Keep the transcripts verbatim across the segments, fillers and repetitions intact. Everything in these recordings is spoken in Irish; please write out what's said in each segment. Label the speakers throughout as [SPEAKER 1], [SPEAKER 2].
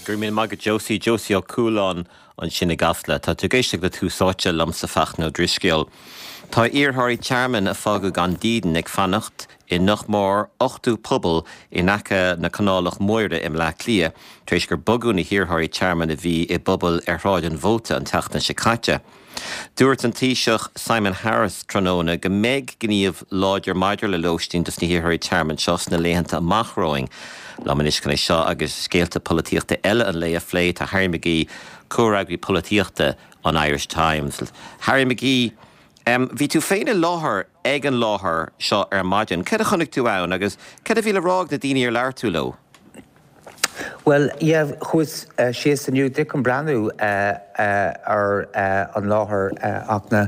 [SPEAKER 1] Go raibh míle maith agat Josie Josie Ó Cualáin ansin i gCasla Tá tú ag éisteacht le Tús Áite liomsa Fachtna Ó Drisceoil. Tá iarrthóirí tearmainn a fágadh gan dídean ag fanacht i nach mór ochtó puball in aice na Canálach Móire i mBleá Cliath, tar éis gur bogadh na hiarrthóirí tearmainn a bhí i bpubaill ar Shráid an Mhóta an tseachtain seo caite. Dúirt an Taoiseach Simon Harris tráthnóna go mbeidh gníomh láidir maidir le lóistín dos na hiarrthóirí tearmainn seo sna laethanta amach romhainn. Liom anois chun é seo agus scéalta polaitíochta eile an lae a phlé tá Harry McGee comhfhreagraí polaitíochta an Irish Times. Harry McGee, um, bhí tú féin i láthair ag an láthair seo ar maidin. Cad a chonaic tú ann agus cad a bhí le rá ag na daoine ar labhair tú leo?
[SPEAKER 2] Well yeah, chuas uh, síos inniu chun breathnú uh, uh, ar uh, an láthair uh, Fhachtna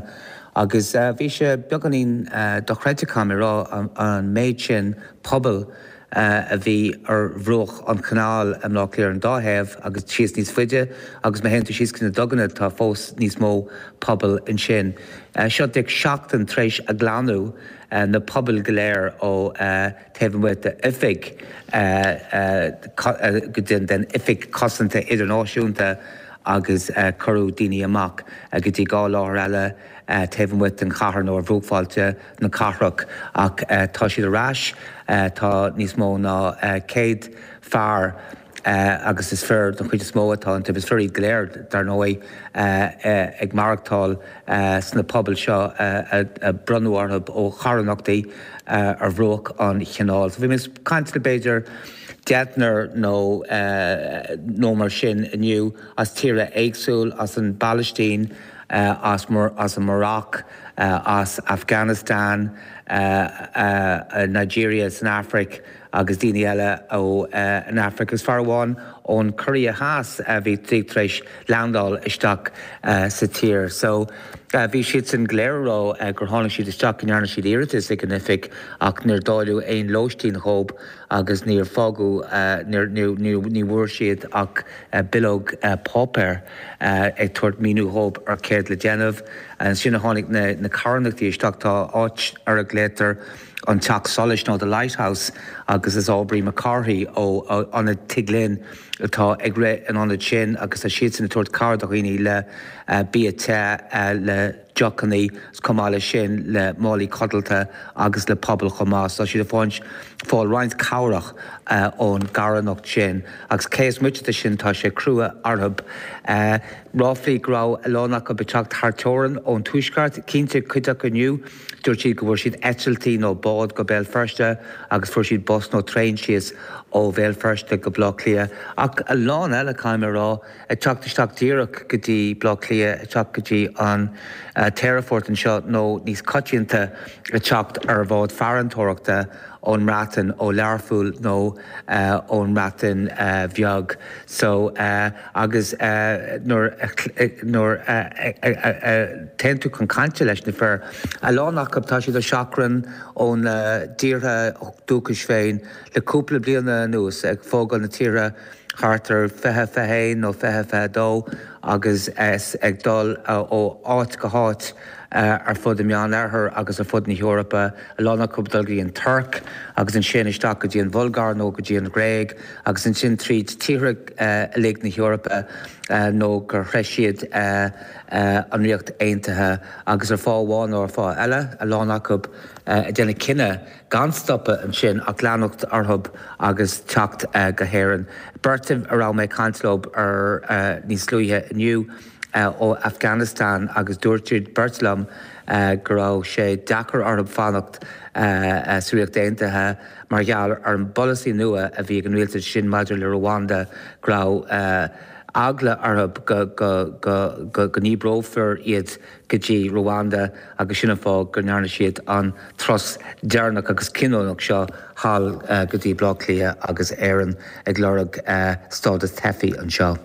[SPEAKER 2] agus uh, bhí sé beagáinín uh, dochreidte caithfidh mé rá an, an méid sin puball uh, a bhí ar bhruach an chanáil i mBleá Cliath an dá thaobh agus síos níos faide agus má théann tú síos na duganna tá fós níos mó puball ansin. Uh, seo ag seachtain tar éis a glanadh uh, na pubaill go léir ó uh, taobh amuigh d'oifig go den den oifig cosanta idirnáisiúnta agus uh, cuireadh daoine amach uh, go dtí dhá láthair eile uh, taobh amuigh den chathair nó ar bhruachbhailte na cathrach ach uh, tá siad ar ais uh, tá níos mó ná uh, céad fear Uh, agus is fir don chuid is mó atá an is fir iad go léir dar ndóigh uh, uh, ag maireachtáil uh, sna pubaill seo uh, a, a bronnadh orthu ó charthanachtaí uh, ar bhruach an chanáil. So bhí mé ag caint le b'fhéidir deichniúr nó uh, nó mar sin inniu as tíortha éagsúla as an bPalaistín, uh, as, Mar as an Maroc, uh, as Afghanistan, uh, uh, Nigeria san Afraic agus daoine eile ó uh, an Afraic is fear amháin ón Korea Theas a bhí trí tar éis landáil isteach uh, sa tír. So uh, bhí siad san go léir ag rá uh, gur tháinig siad isteach go ndearna siad iarratas ag an oifig ach níor dáileadh aon lóistín dóibh agus níor fágadh uh, ní bhfuair siad ach uh, bileog uh, páipéir uh, ag tabhairt míniú dóibh ar céard le déanamh. Ansin a tháinig na, na carthanachtaí isteach tá áit ar a nglaotar an teach solais nó the Lighthouse agus is Aubrey McCarthy ó an Tigh Linn atá ag rith an ionad sin agus tá siad sin ag tabhairt cabhair do dhaoine le uh, bia te uh, le deochanna chomh maith leis sin le málaí codlata agus le pubaill chomh maith, tá siad ag fáil roinnt cabhrach uh, ón gcarthanacht sin agus cé is moite de sin tá sé crua orthu. Uh, Ráflaí go raibh a lán acu ag teacht thar teorainn ón tuaisceart cinnte cuid acu inniu, dúirt siad go bhfuair siad eitiltí nó bád go Béal Feirste agus fuair siad bus nó traein síos ó Bhéal Feirste go Bleá Cliath. Ach a lán eile caithfidh mé rá ag teacht isteach díreach go dtí Bleá Cliath ag teacht go dtí an uh, t-aerfort anseo nó níos coitianta ag teacht ar bhád farantóireachta ón mBreatain ó Learpholl nó uh, ón mBreatain uh, bheag. So uh, agus uh, nuair nuair téann tú chun cainte leis na fir. A lán acu tá siad ar seachrán ón uh, dtíortha dúchais féin le cúpla bliana anuas ag fágáil na tíre thart ar fiche fiche haon nó fiche fiche dó agus es ag dul uh, ó áit go háit uh, ar fud an Meánoirthir agus ar fud na hEorpa a lán acu dul go dtí an Tuirc agus ansin isteach go dtí an Bhulgáir nó go dtí an Ghréig agus ansin tríd tíortha uh, uilig na hEorpa uh, nó gur shroich siad uh, uh, an Ríocht Aontaithe agus ar fáth amháin nó ar fáth eile a lán acu uh, ag déanamh cinneadh gan stopadh ansin ach leanacht orthu agus teacht uh, go hÉirinn. Beirt a raibh mé ag caint leo ar uh, níos luaithe inniu uh, ó Afghanistan agus dúirt siad beirt liom uh, go raibh sé deacair orthu fanacht uh, uh, sa Ríocht Aontaithe mar gheall ar an bpolasaí nua a bhí ag an rialtas sin maidir le Rwanda go raibh uh, eagla orthu go, go, go, go, go ndíbreofar iad go dtí Rwanda agus sin an fáth go ndearna siad an turas deireanach agus cinniúnach seo thall uh, go dtí Bleá Cliath agus Éirinn ag lorg uh, stádas teifigh anseo.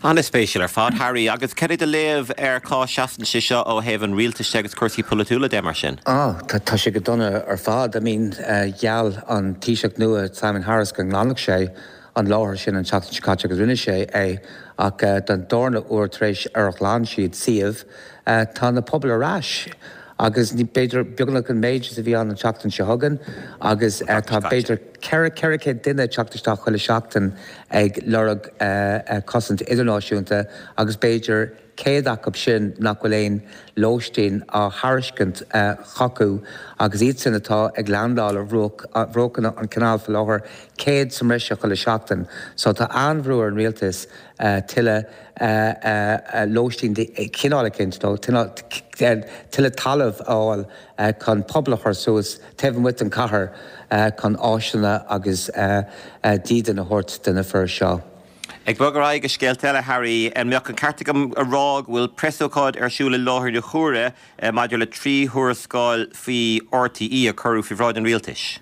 [SPEAKER 1] An-spéisiúil ar fad Harry agus cad é do léamh ar cá seasann sé seo ó thaobh an rialtais agus cúrsaí polaitiúla de mar sin.
[SPEAKER 2] Ah, tá tá sé go dona ar fad, I mean uh, gheall an Taoiseach nua Simon Harris go nglanfadh sé an láthair sin an tseachtain seo caite agus rinne sé é ach uh, den darna huair tar éis ar ghlan siad suíomh uh, tá na pubaill ar ais. agus ní b'fhéidir beagnach an méid is a bhí ann an tseachtain seo chugainn agus tá b'fhéidir ceithre ceithre chéad duine ag teacht isteach chuile sheachtain ag lorg cosaint idirnáisiúnta agus b'fhéidir céad acu sin nach bhfuil aon lóistín á thairiscint chucu agus iad sin atá ag landáil ar bhruachanna an chanáil faoi láthair, céad sa mbreis chuile sheachtain. So tá an-bhrú ar an rialtas tuilleadh lóistín de chineál eicínt nó tuilleadh talamh a fháil chun puball a chur suas taobh amuigh den chathair chun áiseanna agus dídean a thabhairt do na fir seo.
[SPEAKER 1] Ag bogadh ar aghaidh go scéalta eile, Harry, an mbeadh an ceart agam a rá go bhfuil preasócáid ar siúl i láthair na huaire maidir le trí thuarascáil faoi RTÉ a cuireadh faoi bhráid an rialtais?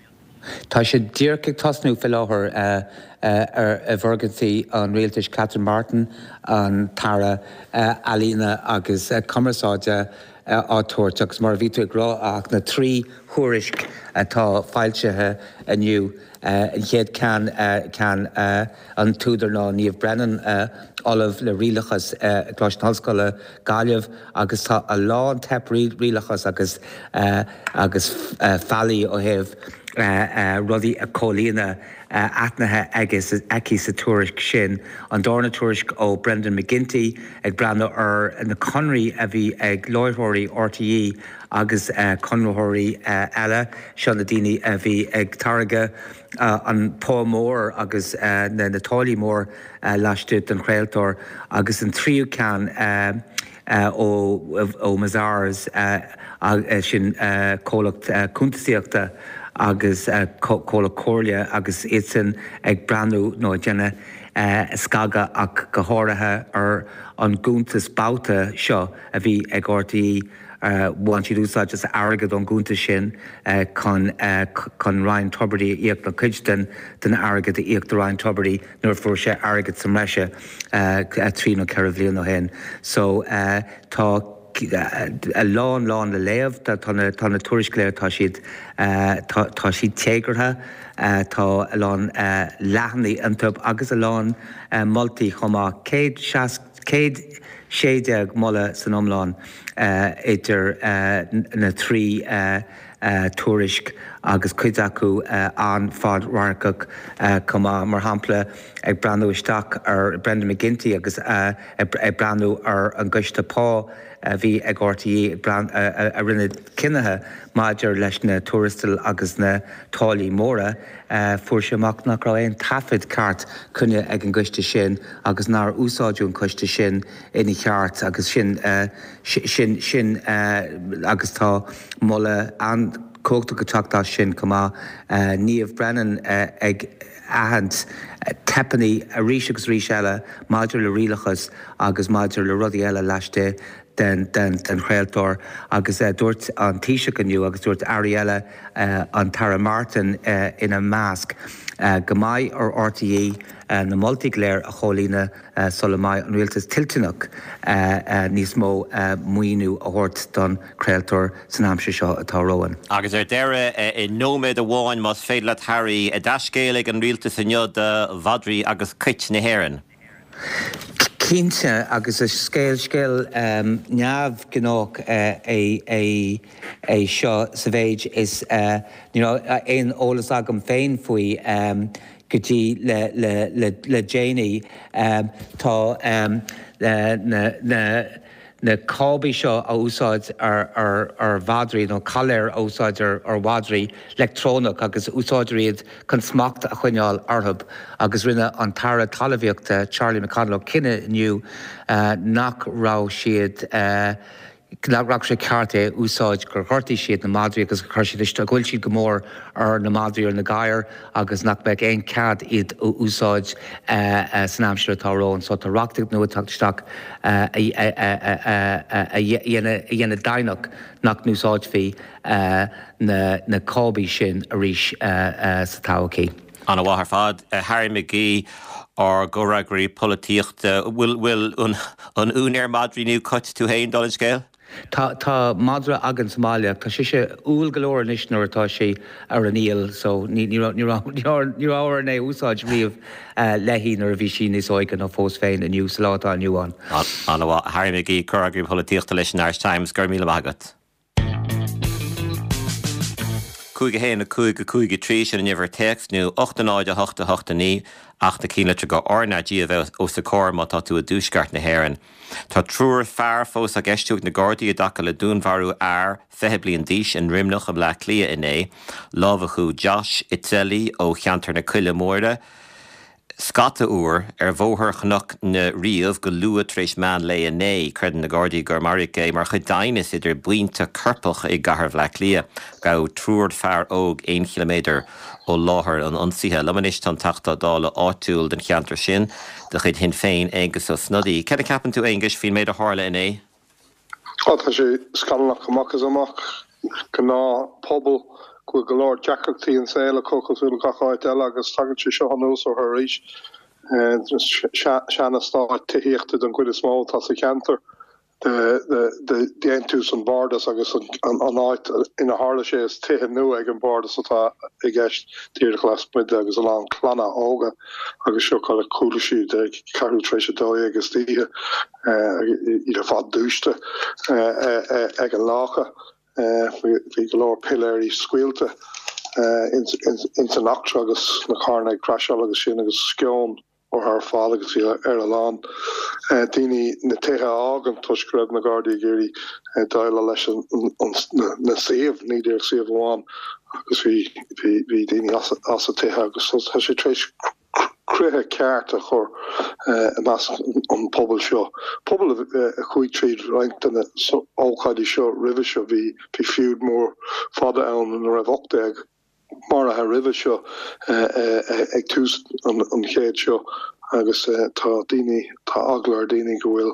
[SPEAKER 2] Tá sé díreach ag tosnú faoi láthair i bhfoirgintí an rialtais, Catherine Martin, an tAire Ealaíona agus Cumarsáide, á tabhairt agus mar a bhí tú ag rá ach na trí thuairisc atá foilsithe inniu, an chéad ceann, ceann an t-údar ná Niamh Brennan, Ollamh le Rialachas i gColáiste na hOllscoile, Gaillimh agus tá a lán teip rialachais agus agus faillí ó thaobh rudaí a chomhlíonadh aithnithe aici sa tuairisc sin. An darna tuairisc ó Brendan McGinty ag breathnú ar na conraí a bhí ag láithreoirí RTÉ agus conraitheoirí eile, seo na daoine a bhí ag táirgeadh an pá mór agus na táillí mór laistigh den chraoltóir agus an tríú ceann, ó Mazars, sin comhlacht cuntasaíochta agus comhlacht comhairle agus iadsan ag breathnú nó ag déanamh scagadh ach go háirithe ar an gcuntas babhta seo a bhí ag RTÉ. Bhain siad úsáid as airgead ón gcuntas sin chun chun Ryan Tubridy a íoc nó cuid den den airgead a íoc do Ryan Tubridy nuair a fuair sé airgead sa mbreise trí nó ceithre bhliain ó shin. So tá a lán lán le léamh, tá na tá na tuairisc go léir tá siad tá tá siad téagartha, tá a lán leathanaigh iontu agus a lán moltaí chomh maith, céad seas céad sé déag moladh san iomlán idir na trí tuairisc agus cuid acu an-fhadradharcach chomh maith. Mar shampla, ag breathnú isteach ar Brendan McGinty agus ag breathnú ar an gcoiste pá a bhí ag RTÉ a rinne cinnithe maidir leis na tuarastail agus na táillí móra, fuair sé amach nach raibh aon taifead ceart coinnithe ag an gcoiste sin agus nár úsáideadh an coiste sin ina cheart agus sin sin sin agus tá moladh an-chumhachtach ag teacht as sin chomh maith. Niamh Brennan ag aithint teipeanna arís agus arís eile maidir le rialachas agus maidir le rudaí eile laistigh den den den chraoltóir agus dúirt an Taoiseach inniu agus dúirt airí eile, an tAire Martin ina measc, go mbeidh ar RTÉ na moltaí go léir a chomhlíonadh sula mbeidh an rialtas toilteanach níos mó maoiniú a thabhairt don chraoltóir san aimsir seo atá romhainn.
[SPEAKER 1] Agus ar deireadh, i nóiméad amháin más féidir leat Harry, dea-scéal ag an rialtas inniu do mhadraí agus cait na hÉireann.
[SPEAKER 2] Cinnte, agus is scéal scéal neamhghnách é é seo sa mhéid is ní raibh aon eolas agam féin faoi go dtí le déanaí. Tá na na cábaí seo a úsáid ar mhadraí nó coiléir a úsáid ar mhadraí leictreonach agus úsáidtear iad chun smacht a choinneáil orthu agus rinne an tAire Talmhaíochta Charlie McConalogue cinneadh inniu nach raibh siad nach raibh sé ceart é a úsáid, gur ghortaigh siad na madraí agus gur chuir siad isteach, ghoill siad go mór ar na madraí, ar na gadhair agus nach mbeadh aon cead iad a úsáid san aimsir atá romhainn. So tá reachtaíocht nua ag teacht isteach a dhéanamh deimhneach nach n-úsáidfí na cábaí sin arís sa todhchaí.
[SPEAKER 1] An-mhaith ar fad. Harry McGee, ár gcomhfhreagraí polaitíochta. Bhfuil an úinéir madraí nó cait tú féin, dála an scéil?
[SPEAKER 2] Tá, tá madra againn sa mbaile ach tá sise umhal go leor anois nuair atá sí ar an iall so ní, ní raibh, ní raibh, ní raibh, ní raibh orainn é a úsáid riamh léi nuair a bhí sí níos óige nó fós féin inniu sa lá atá inniu ann.
[SPEAKER 1] An-mhaith. Harry McGee, Comhfhreagraí Polaitíochta leis an Irish Times, go raibh míle maith agat. cúig a haon a cúig a cúig a trí sin an uimhir téacs nó ocht a náid a hocht a hocht a naoi ach na cinnlitir go R na G a bheith os a comhair má tá tú i dtuaisceart na hÉireann. Tá triúr fear fós á gceistiú ag na Gardaí i dtaca le dúnmharú fhear fiche bliain d'aois i nDroimneach i mBleá Cliath inné. Lámhachadh Josh Itzeli ó cheantar na Coille Móire. Scata uair ar bhóthar Chnoc na Riabh go luath tar éis meán lae inné. Creideann na Gardaí gur maraíodh é mar chuid d'aighneas idir buíonta coirpeach i gcathair Bhaile Átha Cliath. Gabhadh triúr fear óg aon chiliméadar ó láthair an ionsaithe. Liom anois tá an Teachta Dála áitiúil den cheantar sin de chuid Shinn Féin Aengus Ó Snodaigh. Cad a cheapann tú Aengus faoin méid a tharla inné?
[SPEAKER 3] Á tá sé scannalach amach is amach gnáthphobal go bhfuil go leor deacrachtaí an saol acu cosúil le gach áit eile agus tagann sé seo anuas orthu arís sean-eastát tithíochta den chuid is mó atá sa cheantar de dhéantús an bhardas agus an áit ina tharla sé is tithe nua ag an bardas atá i gceist díreach lasmuigh de agus a lán clanna óga agus seo kind of chuala siad ag ceathrú tar éis a dó agus oíche iad ar fad dúiste ag an lácha. Bhí go leor piléirí scaoilte ins an eachtra agus na carranna ag crasháil agus sin agus sceon orthu ar fad agus bhí ar a lán daoine na tithe a fhágaint toisc go raibh na Gardaí ag iarraidh déileáil leis na suíomh, ní díreach suíomh amháin agus bhí bhí daoine as as a tithe agus tá sé tar éis croitheadh ceart a chur i measc an pobal seo. Pobal a chuaigh tríd roinnt de na ócáidí seo roimhe seo bhí bhí feud mór fada ann ina raibh ocht déag maraithe roimhe seo ag tús an chéid seo agus tá daoine tá eagla ar daoine go bhfuil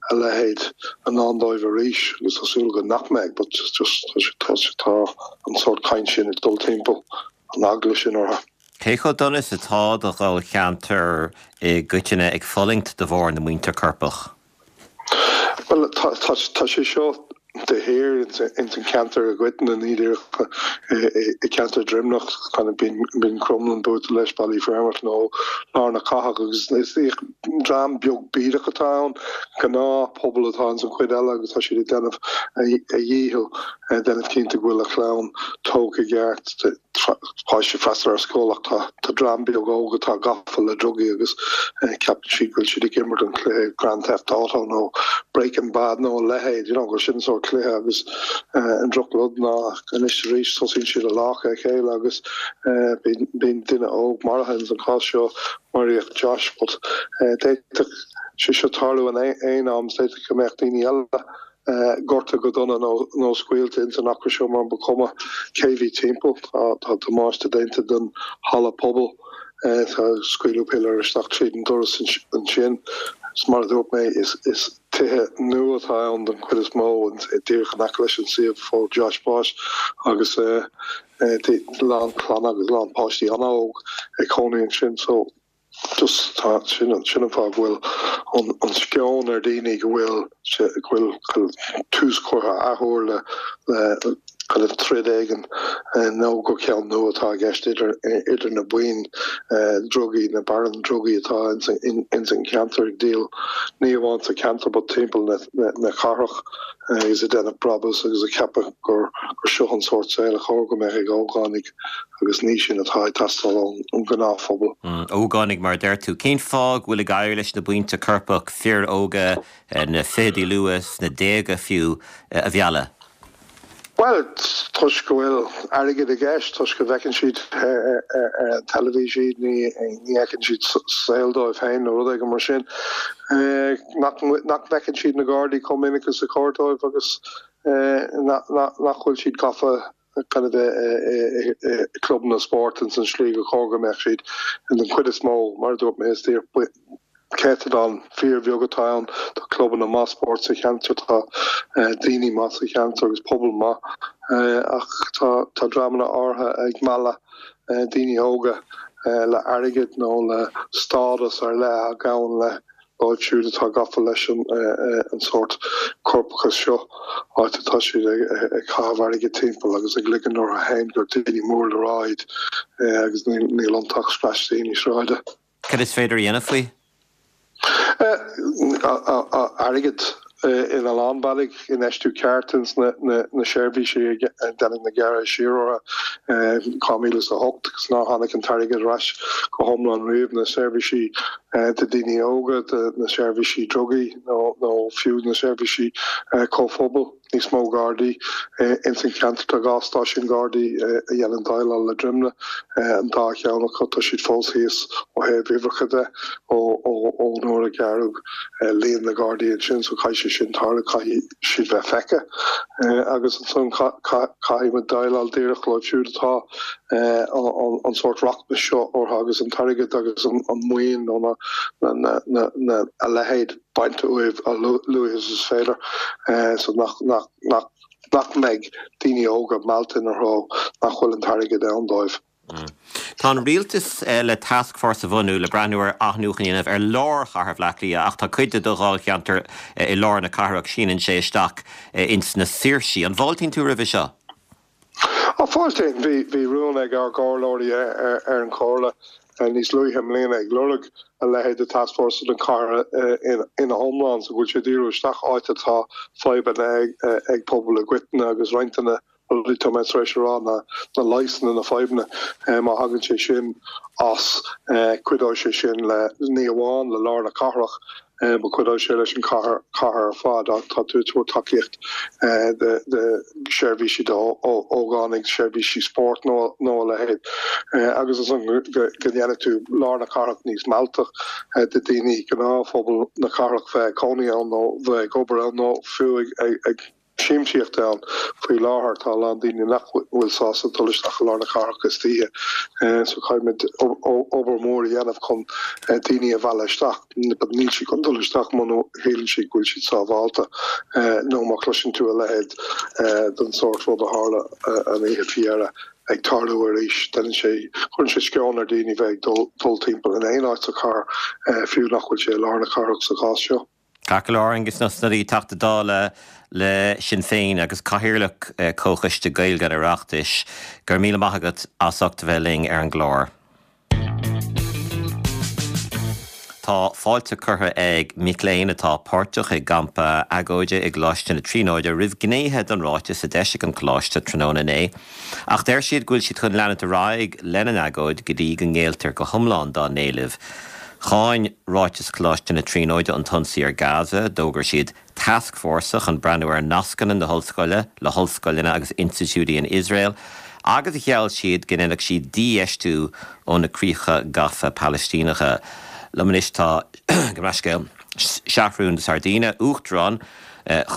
[SPEAKER 3] a leithéid i ndán dóibh arís agus tá súil go nach mbeidh but just tá tá an sórt caint sin ag dul timpeall an eagla sin orthu.
[SPEAKER 1] Cé chomh dona is atá do dháilcheantar i gcoitinne ag fulaingt de bharr na mbuíonta coirpeach?
[SPEAKER 3] Well tá sé seo de shíor ins an ceantar i gcoitinne ní díreach i ceantar Droimneach kind of bíonn Crumlin buailte leis Ballyfermot nó lár na cathrach agus is dream beag bídeach atá ann gnáthphobal atá ins an chuid eile agus tá siad ag déanamh a dhícheall déanamh cinnte go bhfuil a chlann tógtha i gceart páistí freastal ar scoil ach tá tá dream beag óg atá gafa le drugaí agus ceapann siad go bhfuil siad ag imirt an cluiche Grand Theft Auto nó Breaking Bad nó a leithéid you know gur sin sórt cluiche agus an drochrud ná anois arís tosaíonn siad ag láchadh a chéile agus bíonn duine óg maraithe ins an chás seo maraíodh Josh but d'fhéadfadh sé seo tarlú in aon am d'fhéadfadh go mbeadh daoine eile gortaithe go dona nó nó scaoilte ins an eachtra seo mar ba chuma cé bhí timpeall tá tá damáiste déanta den halla pobail tá scaoileadh piléar isteach tríd an doras ansin is mar a dúirt mé is is tithe nua atá ann den chuid is mó díreach in aice leis an suíomh a fuair Josh bás agus lán clanna agus lán páistí an-óg ag cónaí ansin so just tá sin sin an fáth go bhfuil an an sceon ar daoine go bhfuil go bhfuil tús curtha athuair le le kind of troid éigin nó gur ceann nua atá i gceist idir idir na buíon drugaí na barúin drugaí atá ins ins an ceantar ag díol ní amháin sa ceantar but timpeall na na na cathrach agus ag déanamh brabús agus ag ceapadh gur gur seo an sórt saoil a chóir go mbeadh ag ógánaigh agus ní sin atá ag teastáil ón ngnáthphobal.
[SPEAKER 1] Ógánaigh mar deir tú, cén fáth go bhfuil ag éirí leis na buíonta coirpeach fir óga na fichidí luath sna déaga fiú a mhealladh?
[SPEAKER 3] Well toisc go bhfuil airgead i gceist toisc go bhfeiceann siad ar an teilifís iad ní ní fheiceann siad saol dóibh féin nó rud éigin mar sin. Nach nach bhfeiceann siad na Gardaí chomh minic is a chóir dóibh agus nach bhfuil siad gafa kind of i clubanna spóirt ins an slí go chóir go mbeadh siad in den chuid is mó mar a dúirt mé is céatadán fíorbheag atá ann tá clubanna maith spóirt sa cheantar tá daoine maith sa cheantar agus pobal maith ach tá tá dreamanna áirithe ag mealladh daoine óga le airgead nó le stádas ar leith a ghabhann le dóibh siúd atá gafa leis an an sórt coirpeachas seo áit atá siad ag ag caitheamh airgead timpeall agus ag ligean orthu féin gur daoine mór le rá iad agus níl níl iontu ach scraistíní sráide.
[SPEAKER 1] Cad is féidir a dhéanamh faoi?
[SPEAKER 3] Airgead in a lán bealaí, infheistiú ceart ins na na seirbhísí a deineadh na gearradh siar orthu dhá mhíle is a hocht agus nár tháinig an t-airgead ar ais go hiomlán riamh, na seirbhísí do daoine óga, do na seirbhísí drugaí nó nó fiú na seirbhísí comhphobail. Níos mó Gardaí ins an cheantar. Tá dhá stáisiún Gardaí a dhéanann déileáil le Droimneach, an dá cheann acu, tá siad fós thíos ó thaobh uimhreacha de ó nuair a gearradh líon na Gardaí ansin so caithfidh sé sin tarlú, caithfidh siad bheith feicthe agus ansan caithfidh muid déileáil díreach leo siúd atá an sórt rachmas seo orthu agus an t-airgead agus an maoin nó na a leithéid. bainte uaibh a luaithe is is féidir so nach nach nach nach mbeidh daoine óga meallta ina threo nach bhfuil an t-airgead ann dóibh.
[SPEAKER 1] Tá an rialtas le tascfhórsa a bhunú le breathnú ar athnuachan a dhéanamh ar lár chathair Bhaile Átha Cliath ach tá cuid de do dháilcheantar i lár na cathrach, síneann sé isteach ins na Saoirsí. An bhfáiltíonn tú roimhe seo?
[SPEAKER 3] Á, fáiltím. Bhí bhí rún ag ár gcomhairleoirí ar an chomhairle níos luaithe i mbliana ag lorg a leithéid de tascfhórsa don chathair ina hiomlán so go bhfuil sé ag díriú isteach áit atá fadhbanna ag pobal i gcoitinne agus roinnt de na rudaí atá mé tar éis a rá na na leigheasanna na fadhbanna má thagann sé sin as cuideoidh sé sin le ní amháin le lár na cathrach But cuideoidh sé leis an chathair ar fad ach tá tú ag tabhairt tacaíocht do sheirbhísí d'ógánaigh, seirbhísí spóirt nó a leithéid agus ansan go ndéanfaidh tú lár na cathrach níos mealltach do daoine, gnáthphobal na cathrach bheith ag cónaí ann nó bheith ag obair ann nó fiú ag siamsaíocht ann. Faoi láthair tá a lán daoine nach bhfuil sásta dul isteach i lár na cathrach istoíche so caithfimid obair mhór a dhéanamh chun daoine a mhealladh isteach. But níl siad chun dul isteach muna shíleann siad go bhfuil siad sábhálta nó má chloiseann tú a leithéid den sórt rud a tharla an oíche faoi dheireadh ag tarlú arís. Déanann sé, cuireann sé sceon ar daoine bheith ag dul timpeall in aon áit sa chathair, fiú nach bhfuil sé i lár na cathrach sa chás seo.
[SPEAKER 1] Ceart go leor, Aengus Ó Snodaigh, Teachta Dála le Sinn Féin agus Cathaoirleach Comhchoiste Gaeilge an Oireachtais, go raibh míle maith agat as ucht a bheith linn ar an gclár. Tá fáilte curtha ag mic léinn atá páirteach i gcampa agóide i gColáiste na Tríonóide roimh ghnéithe den ráiteas a d'eisigh an coláiste tráthnóna inné. Ach deir siad go bhfuil siad chun leanúint ar aghaidh lena n-agóid go dtí go ngéilltear go hiomlán dá n-éilimh. Cháin ráiteas Choláiste na Tríonóide an t-ionsaí ar Gaza, d'fhógair siad tascfhórsa chun breathnú ar nascanna na hollscoile le hollscoileanna agus institiúidí in Iosrael agus gheall siad go ndéanfadh siad dífheistiú ó na críocha gafa Palaistíneacha. Liom anois tá, gabh mo leithscéal, Seathrún de Sairdíne, Uachtarán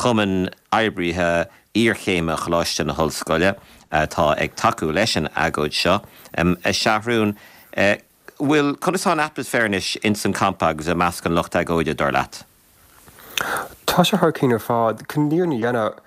[SPEAKER 1] Chumann Oibrithe Iarchéime Choláiste na hOllscoile, atá ag tacú leis an agóid seo. A Sheathrúin, Bhuel, conas tá an atmaisféar anois ins an campa agus i measc an lucht agóide, dar leat?
[SPEAKER 4] Tá sé thar cionn ar fad. Chun an fhírinne a dhéanamh,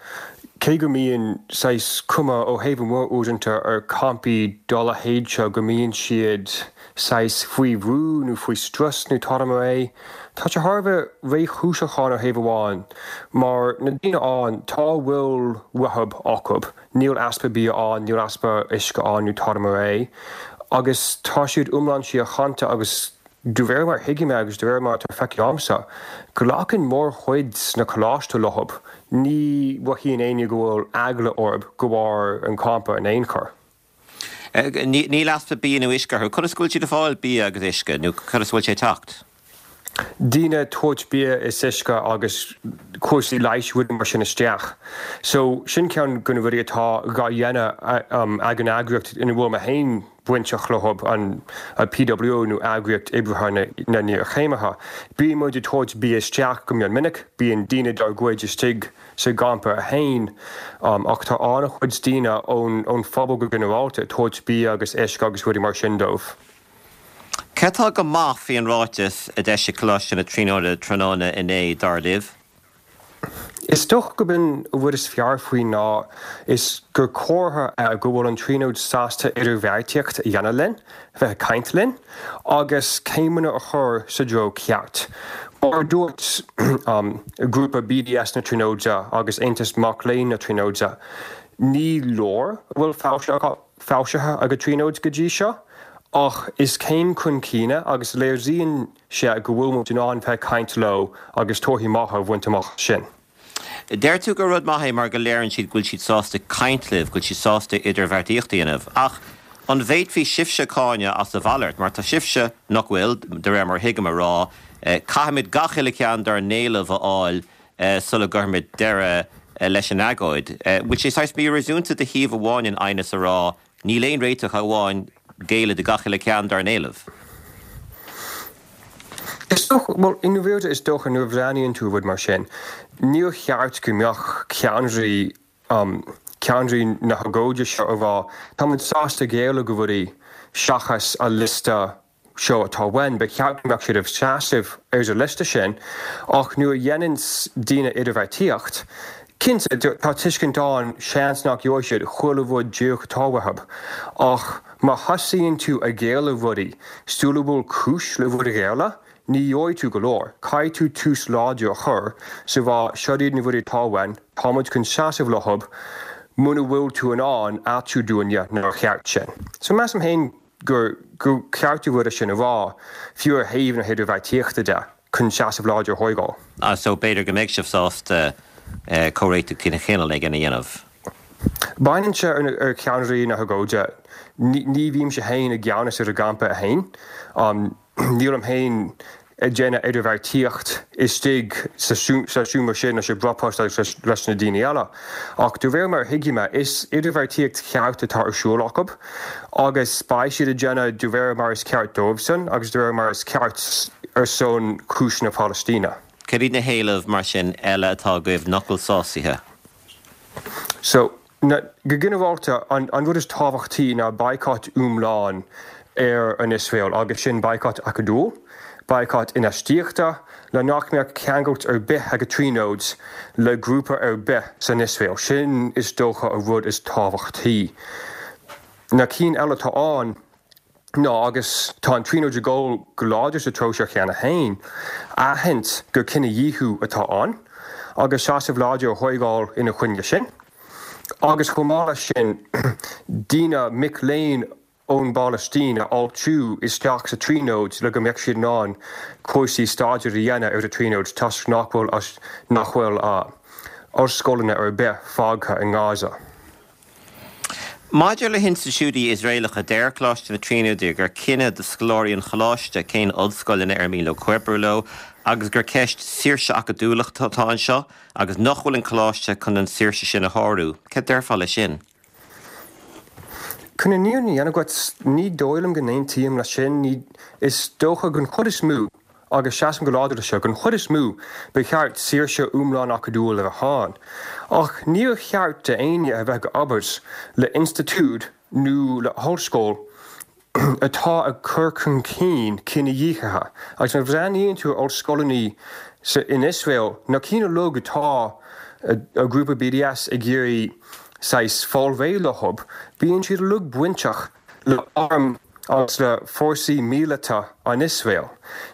[SPEAKER 4] cé go mbíonn saghas cuma ó thaobh amuigh uaireanta ar campaí dá leithéid seo go mbíonn siad saghas faoi bhrú nó faoi strus nó tada mar é, tá sé thar a bheith réchúiseach ó thaobh amháin mar na daoine ann, tá a bhfuil uathu acu. Níl easpa bia ann, níl easpa uisce ann nó tada mar é. Agus tá siad iomlán síochánta agus de réir mar a thuigim é agus de réir mar atá feicthe agamsa, glacann mórchuid na coláiste leo. Ní mhothaíonn éinne go bhfuil eagla orthu de bharr an champa in aon chor.
[SPEAKER 1] Níl easpa bia nó uisce orthu. Conas go bhfuil siad ag fáil bia agus uisce nó conas a bhfuil sé ag teacht?
[SPEAKER 4] Daoine ag tabhairt bia is uisce agus cúrsaí leighis rudaí mar sin isteach. So sin ceann de na rudaí atá dhá dhéanamh ag an eagraíocht ina bhfuil mé féin bainteach leo, an P W O nó Eagraíocht Oibrithe na nIarchéimithe. Bíonn muid ag tabhairt bia isteach go mion minic, bíonn daoine dár gcuid istigh sa gcampa féin ach tá an-chuid daoine ón phobal go ginearálta ag tabhairt bia agus uisce agus rudaí mar sin dóibh.
[SPEAKER 1] Cé atá go maith faoin ráiteas a d'eisigh Coláiste na Tríonóide tráthnóna inné, dar libh?
[SPEAKER 4] Is dócha gurb in an rud is fearr faoi ná is gur comhartha é go bhfuil an Tríonóid sásta idirbheartaíocht a dhéanamh linn, bheith ag caint linn, agus céimeanna a chur sa dtreo ceart. Mar a dúirt grúpa B D S na Tríonóide agus Aontas Mac Léinn na Tríonóide, ní leor a bhfuil foilsithe ag an Tríonóid go dtí seo, Ach is céim chun cinn é agus léiríonn sé go bhfuil muid in ann bheith ag caint leo agus torthaí maithe a bhaint amach as sin.
[SPEAKER 1] Deir tú gur rud maith é mar go léiríonn siad go bhfuil siad sásta caint libh, go bhfuil siad sásta idirbheartaíocht a dhéanamh. Ach an bhféadfaí sibhse cáineadh as a mhalairt, mar tá sibhse, nach bhfuil, de réir mar a thuigim, ag rá, caithfimid gach uile cheann dár n-éilimh a fháil sula gcuirfimid deireadh leis an agóid. Bhfuil sé saghas míréasúnta de thaobh amháin an aighneas a rá, níl aon réiteach ach amháin géilleadh do gach uile cheann dár n-éilimh?
[SPEAKER 4] Is dócha, bhuel, i ndáiríre is dócha nuair a bhreathnaíonn tú ar rud mar sin, níor cheart go mbeadh ceannairí, ceannairí na hagóide seo ag rá, táimid sásta géilleadh do rudaí seachas an liosta seo atá uainn, ba cheart go mbeadh siad ag seasamh ar an liosta sin ach nuair a dhéanann daoine idirbheartaíocht, cinnte, tá tuiscint ann, seans nach gheobhaidh siad chuile rud díreach atá uathu ach má thosaíonn tú ag géilleadh rudaí sula bhfuil cúis le rud a ghéilleadh, ní gheobhaidh tú go leor. Caithfidh tú tús láidir a chur is a rá seo iad na rudaí atá uainn, tá muid chun seasamh leo, muna bhfuil tú in ann áitiú dúinne nár cheart sin. So measaim féin gur ceart an rud sin a rá, fiú ar thaobh na hidirbheartaíochta de, chun seasamh láidir a thógáil.
[SPEAKER 1] So b'fhéidir go mbeidh sibh sásta comhréiteach de chineál éigin a dhéanamh?
[SPEAKER 4] Baineann sé ar cheannairí na hagóide. Ní bhímse féin i gceannas ar an gcampa féin. Nílim féin ag déanamh idirbheartaíocht istigh sa seomra sin leis an bpropast agus leis na daoine eile. Ach de réir mar a thuigim é, is idirbheartaíocht cheart atá ar siúl acu agus beidh siad ag déanamh de réir mar is ceart dóibhsean agus de réir mar is ceart ar son chúis na Palaistíne.
[SPEAKER 1] Cad iad na héilimh, mar sin, eile atá agaibh nach bhfuil sásaithe?
[SPEAKER 4] So, na, go ginearálta, an, an rud is tábhachtaí ná baghcat iomlán ar an Iosrael agus sin baghcat acadúil, baghcat infheistíochta, le nach mbeadh ceangailt ar bith ag an Tríonóid le grúpa ar bith san Iosrael. Sin is dócha an rud is tábhachtaí. Na cinn eile atá ann ná, agus tá an Tríonóid ag dul go láidir sa treo seo cheana féin, aithint gur cinedhíothú atá ann agus seasamh láidir a thógáil ina choinne sin. Agus chomh maith leis sin, daoine, mic léinn ón bPalaistín a fháiltiú isteach sa Tríonóid le go mbeadh siad in ann cúrsaí staidéir a dhéanamh ar an Tríonóid toisc nach bhfuil nach bhfuil ollscoileanna ar bith fágtha i nGaza.
[SPEAKER 1] Maidir le hinstitiúidí Iosraelacha, deir Coláiste na Tríonóide gur cinneadh do scoláirí an choláiste cén ollscoileanna ar mian leo comhoibriú leo agus gur ceist saoirse acadúlachta atá anseo agus nach bhfuil an coláiste chun an saoirse sin a shárú. Cad déarfá leis sin?
[SPEAKER 4] Chun an fhírinne a dhéanamh dhuit, ní dóigh liom go n-aontaím leis sin. Ní, is dócha den chuid is mó, agus seasaim go láidir leis seo, den chuid is mó, ba cheart saoirse iomlán acadúil a bheith ann. Ach níor cheart d'éinne a bheith ag obair le institiúid nó le hollscoil atá ag cur chun cinn cinedhíothaithe. Agus má bhreathnaíonn tú ar ollscoileanna in Iosrael, na cinn uilig atá an grúpa BDS ag iarraidh saghas fáil réidh leo, bíonn siad uilig bainteach le arm agus le fórsaí míleata an Iosrael.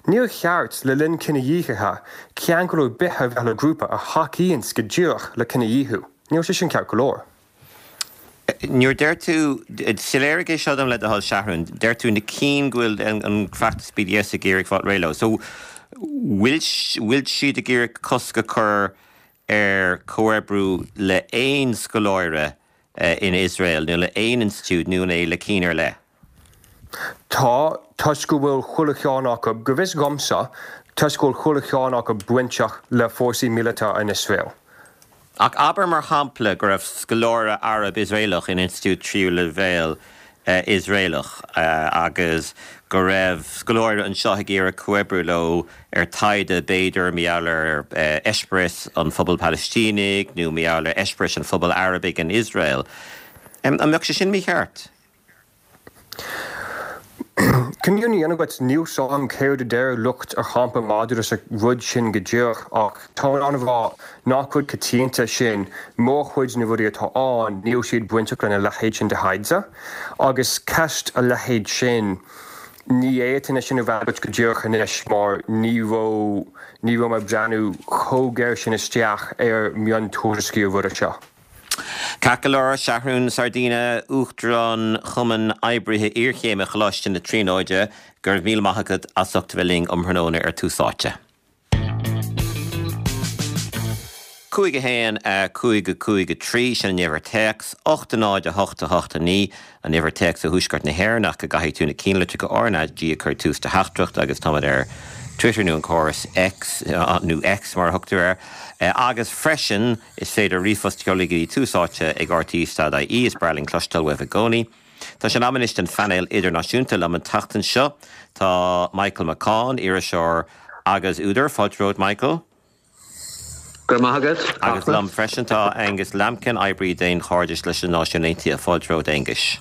[SPEAKER 4] Níor cheart, le linn cinedhíothaithe, ceangal ar bith a bheith le grúpa a thacaíonn go díreach le cinedhíothú. Níl sé sin ceart go leor.
[SPEAKER 1] Nuair a deir tú, soiléirigh é seo dom le do thoil Seathrún, deir tú na cinn go bhfuil an feachtas BDS ag iarraidh fáil réidh leo. So, bhfuil bhfuil siad ag iarraidh cosc a chur ar chomhoibriú le aon scoláire in Iosrael nó le aon institiúid nó an é le cinn ar leith?
[SPEAKER 4] Tá, toisc go bhfuil chuile cheann acu, go bhfios dhomsa, toisc go bhfuil chuile cheann acu bainteach le fórsaí míleata an Iosrael.
[SPEAKER 1] Ach abair mar shampla go raibh scoláire Arab Iosraelach in institiúid tríú leibhéal Iosraelach agus go raibh scoláire anseo ag iarraidh comhoibriú leo ar taighde b'fhéidir mar gheall ar eispéireas an phobail Phalaistínigh nó mar gheall ar eispéireas an phobail Arabaigh in Iosrael. An mbeadh sé sin mícheart?
[SPEAKER 4] Chun an fhírinne a dhéanamh dhuit, níl 's a'm céard a deir lucht an champa maidir leis an rud sin go díreach ach tá mé in ann a rá nach rud coitianta sin, mórchuid na rudaí atá ann níl siad bainteach lena leithéid sin de thaighde agus ceist a leithéid sin ní fhéadfainn é sin a fhreagairt go díreach anois mar ní raibh ní raibh mé ag breathnú chomh géar sin isteach ar mhiontuairiscí an ruda seo.
[SPEAKER 1] Ceart go leor, Seathrún Sardina, Uachtarán Chumann Oibrithe Iarchéime Choláiste na Tríonóide, go raibh míle maith agat as ucht a bheith linn um thráthnóna ar Tús Áite. Cúig a haon, cúig a cúig a trí, sin an uimhir téacs, ocht a náid a hocht a hocht a naoi an uimhir téacs ó Thuaisceart na hÉireann ach go gcaithfidh tú na cinnlitreacha RnaG a chur tús do theachtaireacht agus táimid ar Twitter nó an córas X nó X mar a thugtar air agus freisin is féidir ríomhphost a sheoladh go dtí tús áite ag rte dot ie is breá linn cloisteáil uaibh i gcónaí. Tá sé in am anois don phainéal idirnáisiúnta liom an tseachtain seo. Tá Michael McCaughan, iriseoir agus údar, fáilte romhat Michael.
[SPEAKER 5] Go raibh maith agat.
[SPEAKER 1] Agus liom freisin tá Angus Lambkin, oibrí daonchairdis leis na Náisiúin Aontaithe. Fáilte romhat Aengus.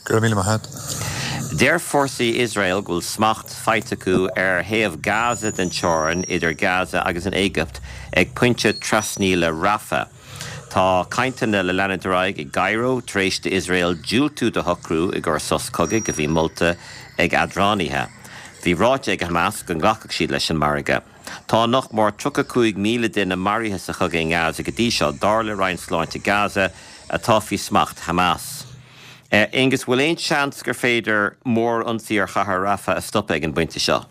[SPEAKER 6] Go raibh míle maith agat.
[SPEAKER 1] Deir fórsaí Iosrael go bhfuil smacht faighte acu ar thaobh Gaza den teorainn idir Gaza agus an Éigipt ag pointe trasnaíola Rafah. Tá cainteanna le leanúint ar aghaidh i gCairo tar éis d'Iosrael diúltú do shocrú i gcomhair sos cogaidh a bhí molta ag eadránaithe. Bhí ráite ag Hamas go nglacfadh siad leis an margadh. Tá nach mór tríocha cúig míle duine maraithe sa chogadh i nGaza go dtí seo, dar le Roinn Sláinte Gaza, atá faoi smacht Hamas. Aengus, bhfuil aon seans gur féidir mórionsaí ar chathair Rafah a stopadh ag an bpointe seo?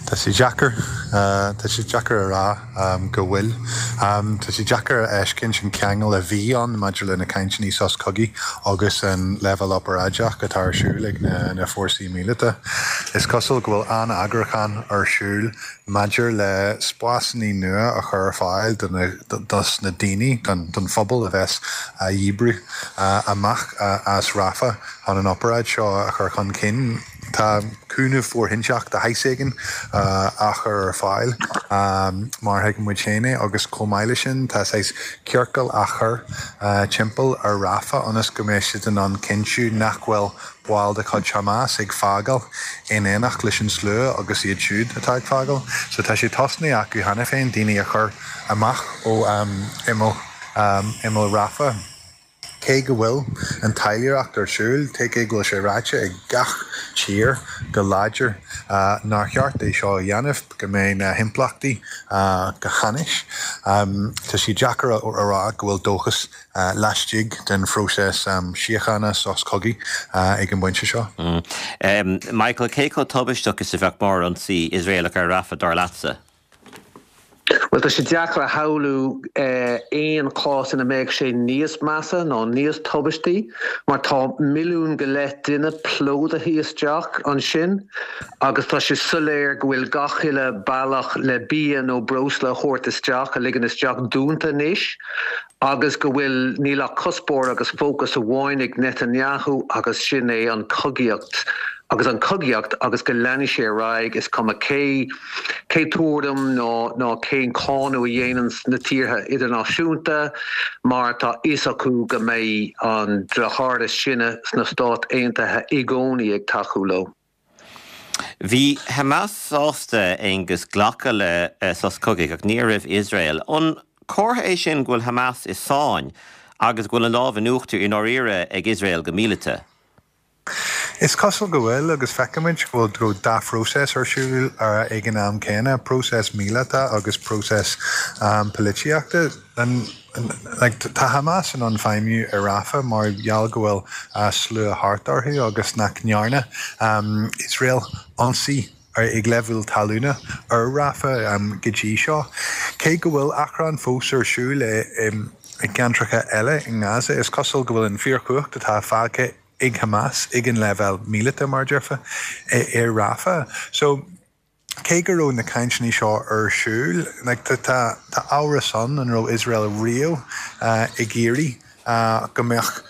[SPEAKER 6] Tá sé deacair, tá sé deacair a rá go bhfuil. Tá sé deacair a fheiscint an ceangal a bhí ann maidir le na cainteanna sos cogaidh agus an leibhéal obráideach atá ar siúl ag na fórsaí míleata. Is cosúil go bhfuil an-eagrúchán ar siúl maidir le spásanna nua a chur ar fáil dos na daoine, don phobal a bheas á dhíbriú amach as Rafah chun an obaráid seo a chur chun cinn. Tá cúnamh fóirithinte de shaghas éigin á chur ar fáil, mar a thuigeann muid féin é, agus chomh maith leis sin tá saghas ciorcal á chur timpeall ar Rafah ionas go mbeidh siad in ann cinntiú nach bhfuil baill de chuid Hamas ag fágáil in éineacht leis an slua agus iad siúd atá ag fágáil. So tá sé tosnaithe acu cheana féin daoine a chur amach ó imeall imeall Rafah. Cé go bhfuil an taidhleoireacht ar siúl, cé go bhfuil sé ráite ag gach tír go láidir nár cheart é seo a dhéanamh, go mbeidh na himpleachtaí go hainnis, tá sé deacair a rá go bhfuil dóchas laistigh den phróiseas síochána, sos cogaidh, ag an bpointe seo.
[SPEAKER 1] Michael, cé chomh tubaisteach is a bheadh mórionsaí Iosraelach ar Rafah, dar leatsa?
[SPEAKER 5] Bhuel, tá sé deacair a shamhlú aon chás ina mbeadh sé níos measa nó níos tubaistí mar tá milliún go leith duine plódaithe isteach ansin agus tá sé soiléir go bhfuil gach uile bealach le bia nó breosla a thabhairt isteach, a ligean isteach, dúnta anois agus go bhfuil, níl ach cuspóir agus fócas amháin ag Netanyahu agus sin é an chogaíocht agus an chogaíocht agus go leanfaidh sé ar aghaidh is cuma cé cé tuairim nó nó cén cáineadh a dhéanann na tíortha idirnáisiúnta mar tá fhios acu go mbeidh an deartháir is sine sna Stáit Aontaithe i gcónaí ag tacú leo.
[SPEAKER 1] Bhí Hamas sásta, Aengus, glacadh le sos cogaidh ach ní raibh Iosrael. An comhartha é sin go bhfuil Hamas i sáinn agus go bhfuil an lámh in uachtar i ndáiríre ag Iosrael go míleata?
[SPEAKER 6] Is cosúil go bhfuil, agus feicimid go bhfuil dhá phróiseas ar siúl ag an am céanna, próiseas míleata agus próiseas polaitíochta. Tá Hamas in ann feidhmiú i Rafah mar gheall go bhfuil slua thart orthu agus nach ndearna Iosrael ionsaí ag leibhéal talúna ar Rafah go dtí seo. Cé go bhfuil achrann fós ar siúl i gceantracha eile i nGaza, is cosúil go bhfuil an fíorchumhacht atá fágtha ag Hamas ag an leibhéal míleata, mar a déarfá, i Rafah. So, cé go raibh na cainteanna seo ar siúl, like, tá tá tá amhras ann an raibh Iosrael riamh ag iarraidh go mbeadh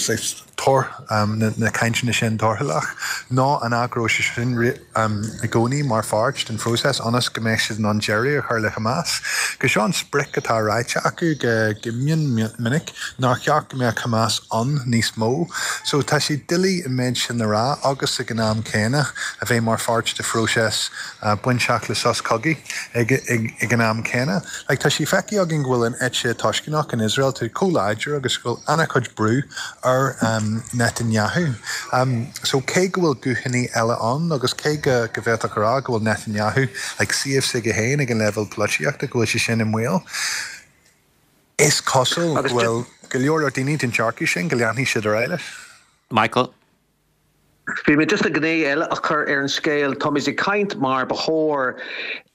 [SPEAKER 6] saghas toradh na cainteanna sin torthúlach, nó an ea go raibh sé sin i gcónaí mar pháirt den phróiseas ionas go mbeadh siad in ann deireadh a chur le Hamas. Go seo an sprioc atá ráite acu go mion minic, nár cheart go mbeadh Hamas ann níos mó. So tá sé doiligh an méid sin a rá agus ag an am céanna a bheith mar pháirt de phróiseas bainteach le sos cogaidh ag an am céanna. Like tá sé feicthe againn go bhfuil an eite tuisceanach in Iosrael chomh láidir agus go bhfuil an-chuid brú ar Netanyahu. So cé go bhfuil guthanna eile ann agus cé go go bhféadfadh a rá go bhfuil Netanyahu like suíomh s'aige féin ag an leibhéal polaitíochta go bhfuil sé sin i mbaol, is cosúil go bhfuil go leor leor daoine den dearcadh sin go leanfaidh siad ar aghaidh leis.
[SPEAKER 1] Michael.
[SPEAKER 5] Bhí mé just le gné eile a chur ar an scéal Táimid ag caint mar ba chóir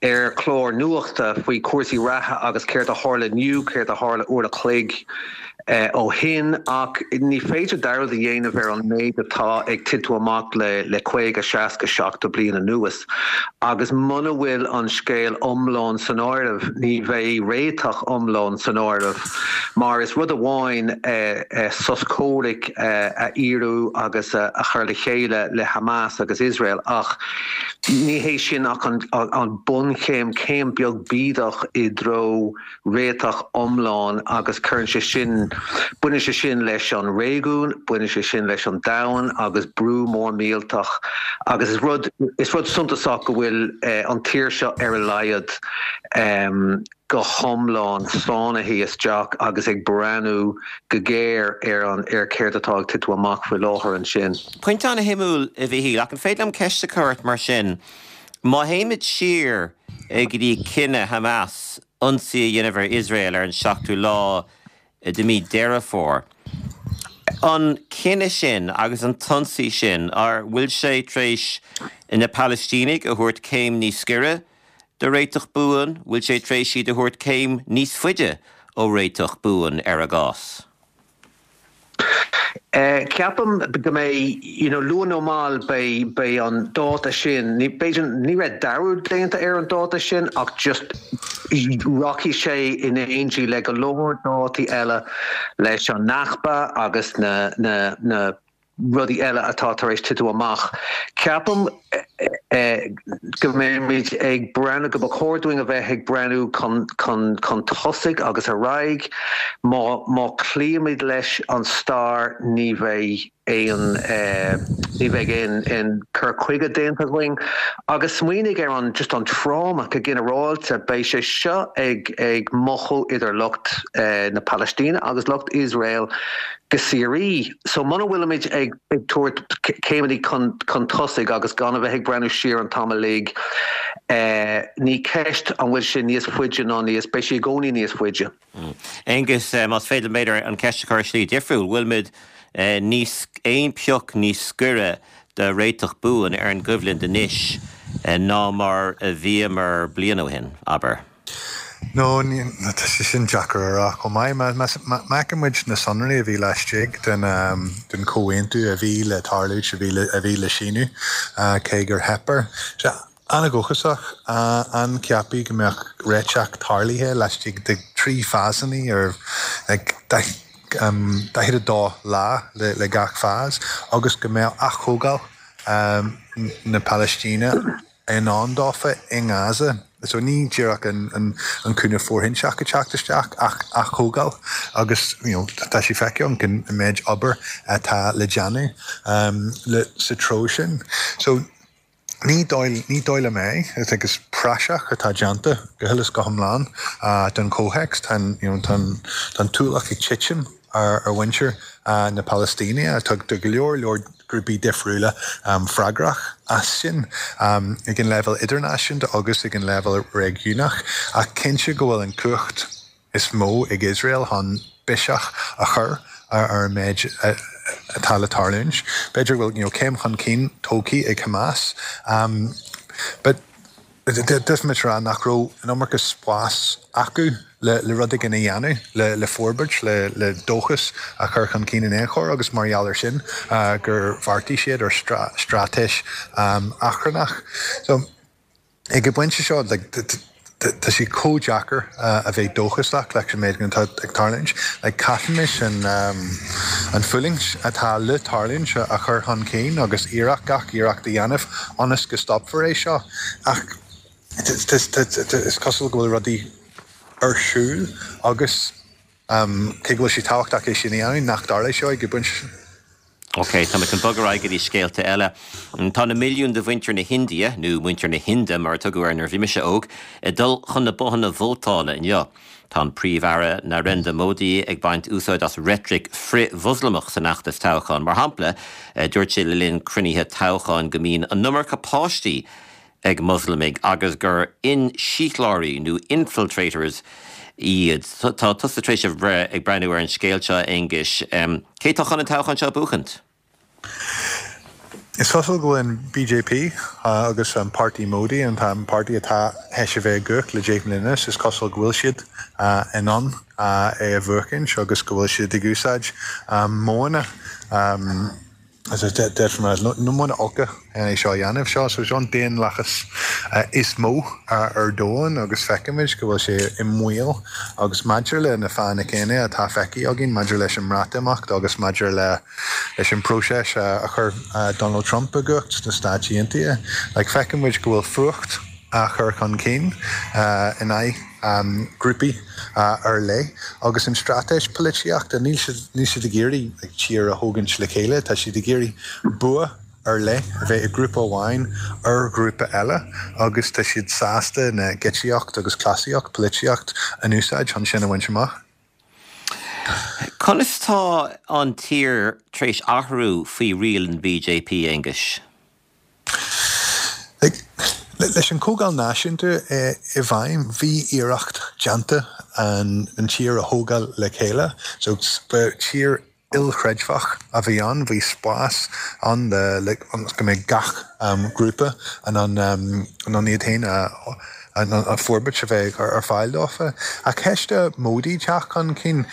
[SPEAKER 5] ar chlár nuachta faoi cúrsaí reatha agus céard a tharla inniu céard a tharla uair a chloig eh, ó shin ach ní féidir dearmad a dhéanamh ar an méid atá ag titim amach le le caoga seasca seachtó bliain anuas. Agus muna bhfuil an scéal iomlán san áireamh ní bheidh réiteach iomlán san áireamh mar is rud amháin eh, eh, sos comhraic eh, a fhíorú agus a, a chur le chéile le Hamas agus Israel ach ní hé sin ach an, an, an bunchéim céim beag bídeach i dtreo réiteach iomlán agus cuireann sé sin baineann sé sin leis an réigiún, baineann sé sin leis an domhan agus brú mór millteach agus is rud is rud suntasach go bhfuil eh, an tír seo ar a laghad um, go hiomlán sáinnithe isteach agus ag breathnú go géar ar an ar céard atá ag titim amach faoi láthair ansin.
[SPEAKER 1] Pointe an-shuimiúil a Mhichíl ach an féidir liom ceist a chur ort mar sin. Má théimid siar go dtí cinneadh Hamas ionsaí a dhéanamh ar Iosrael ar an seachtú lá de mí Deireadh Fómhair. An cinneadh sin agus an t-ionsaí sin ar bhfuil sé tar éis na Palaistínigh a thabhairt céim níos gaire do réiteach buan, bhfuil sé tar éis iad a thabhairt céim níos faide ó réiteach buan ar a gcás.
[SPEAKER 5] Uh, ceapaim go mbeidh you know, luath nó mall beidh beidh an dáta sin ní b'fhéidir ní raibh dearmad déanta ar an dáta sin ach just rachaidh sé in éindí le go leor dátaí eile leis an Nakba agus na, na, na rudaí eile atá tar éis titim amach. Ceapaim eh, go mbeimid ag breathnú go chóir dúinn a bheith ag breathnú chun, chun, chun tosaigh agus ar aghaidh má, má chloímid leis an stair ní bheidh aon eh, ní bheidh aon aon cur chuige déanta againn agus smaoinigh ar an just an tráma go ginearálta beidh sé seo ag ag mothú idir lucht eh, na Palaistíne agus lucht Israel go síoraí. So muna bhfuilimid ag ag tabhairt céimeanna chun chun tosaigh agus gan a bheith ag breathnú siar an t-am uilig eh, ní ceist an bhfuil sé níos faide ná níos beidh sé i gcónaí níos faide.
[SPEAKER 1] Aonghus eh, más féidir b'fhéidir an ceist a chur slí difriúil, bhfuilimid eh, níos aon phioc níos gaire de réiteach buan ar an gcoimhlint anois eh, ná mar a bhíomar bliain ó shin, abair.
[SPEAKER 6] No tá sé sin deacair a rá chomh maith má fheicimid na sonraí a bhí laistigh den um, den chomhaontú a bhí le tarlú a bhí a bhí le síniú uh, cé gur theip air. An-dóchasach an ceapadh go mbeadh réiteach tarlaithe laistigh de trí phásanna ar um, daichead a dó lá le, le gach phase agus go mbeadh atógáil um, na Palaistíne in ann dófa i nGaza. So ní díreach an, an, an cúnamh fóirithinte ag teacht isteach ach atógáil agus you know, tá sé feicthe an méid obair atá le déanamh um, le sa treo sin. So ní dóigh ní dóigh liom é is agus praiseach atá déanta go huile is go hiomlán uh, don chomhthéacs tá you know, tá an t-ualach ag titim ar ar mhuintir uh, na Palaistíne tá do go leor leor grúpaí difriúla um, freagrach as sin um, ag an level idirnáisiúnta agus ag an level réigiúnach ach cinnte go bhfuil an cumhacht is mó ag Israel chun biseach a chur ar ar méid atá le tarlúint. B'fhéidir bhfuil you know, céim chun cinn tógtha ag Hamas. Um, but Difimid rá nach raibh an iomarca spás acu le, le rud éigin a dhéanamh le, le forbairt le, le dóchas a chur chun cinn in aon chor agus mar gheall air sin uh, gur bheartaigh siad ar stra straitéis um, achrannach. So ag an bpointe seo like, tá sé chomh deacair uh, a bheith dóchasach leis an méid atá ag tarlúint, le caithfimis an, um, an fhulaingt atá le tarlúint a chur chun cinn agus iarracht gach iarracht a dhéanamh ionas go stopfar é seo ach is cosúil go bhfuil rudaí ar siúl agus um, cé go bhfuil sé tábhachtach é sin a dhéanamh nach dtarlóidh seo ag an bpointe sin.
[SPEAKER 1] Ok, tá chun bogadh go dtí scéalta eile. Tá na milliún de mhuintir na hIndia nó muintir na hInde mar tugadh ar nuair bhí mise óg, ag dul chun na bothanna vótála inniu. Tá an Príomh-Aire Narendra Modi ag baint úsáid as reitric frith-Mhoslamach san fheachtas toghcháin. Mar shampla dúirt sé le linn cruinnithe toghcháin go mbíonn an iomarca páistí ag Moslamaigh agus gur insíothlóirí nó infiltrators iad. Tá tusa tar éis a bheith ag breathnú ar an scéal seo Aonghuis. Um, Cé tá chun an toghchán seo a bhuachaint?
[SPEAKER 6] Is cosúil go bhfuil an BJP agus an páirtí Modi, an páirtí atá théis a bheith i gcumhacht le deich mbliana anuas, is cosúil go bhfuil siad in ann é a bhuachaint agus go bhfuil siad ag úsáid modhanna modhanna olca é seo a dhéanamh seo. So seo an daonlathas is mó ar domhan agus feicimid go bhfuil sé i mbaol agus maidir le na fáthanna céanna atá feicthe againn maidir leis an mBreatimeacht agus maidir le leis an bpróiseas a chuir Donald Trump i gcumhacht sna Stáit Aontaithe. Like feicimid go bhfuil fuacht á chur chun cinn in aghaidh grúpaí ar leith agus an straitéis polaitíochta níl siad níl siad ag iarraidh like tír a thógaint le chéile, tá siad ag iarraidh bua ar leith a bheith ag grúpa amháin ar ghrúpa eile agus tá siad sásta na giotaíocht agus cleasaíocht polaitíocht in úsáid chun sin a bhaint amach.
[SPEAKER 1] Conas tá an tír tar éis athrú faoi riail an BJP, Aonghuis?
[SPEAKER 6] Leis an Chomhdháil Náisiúnta i bhfeidhm, bhí iarracht déanta an tír a thógáil le chéile. So ba tír ilchreidmheach a bhí ann, bhí spás ann le go mbeidh gach grúpa in ann in ann iad féin a an forbairt a bheith ar fáil dófa. Ach théis do Modi teacht chun cinn,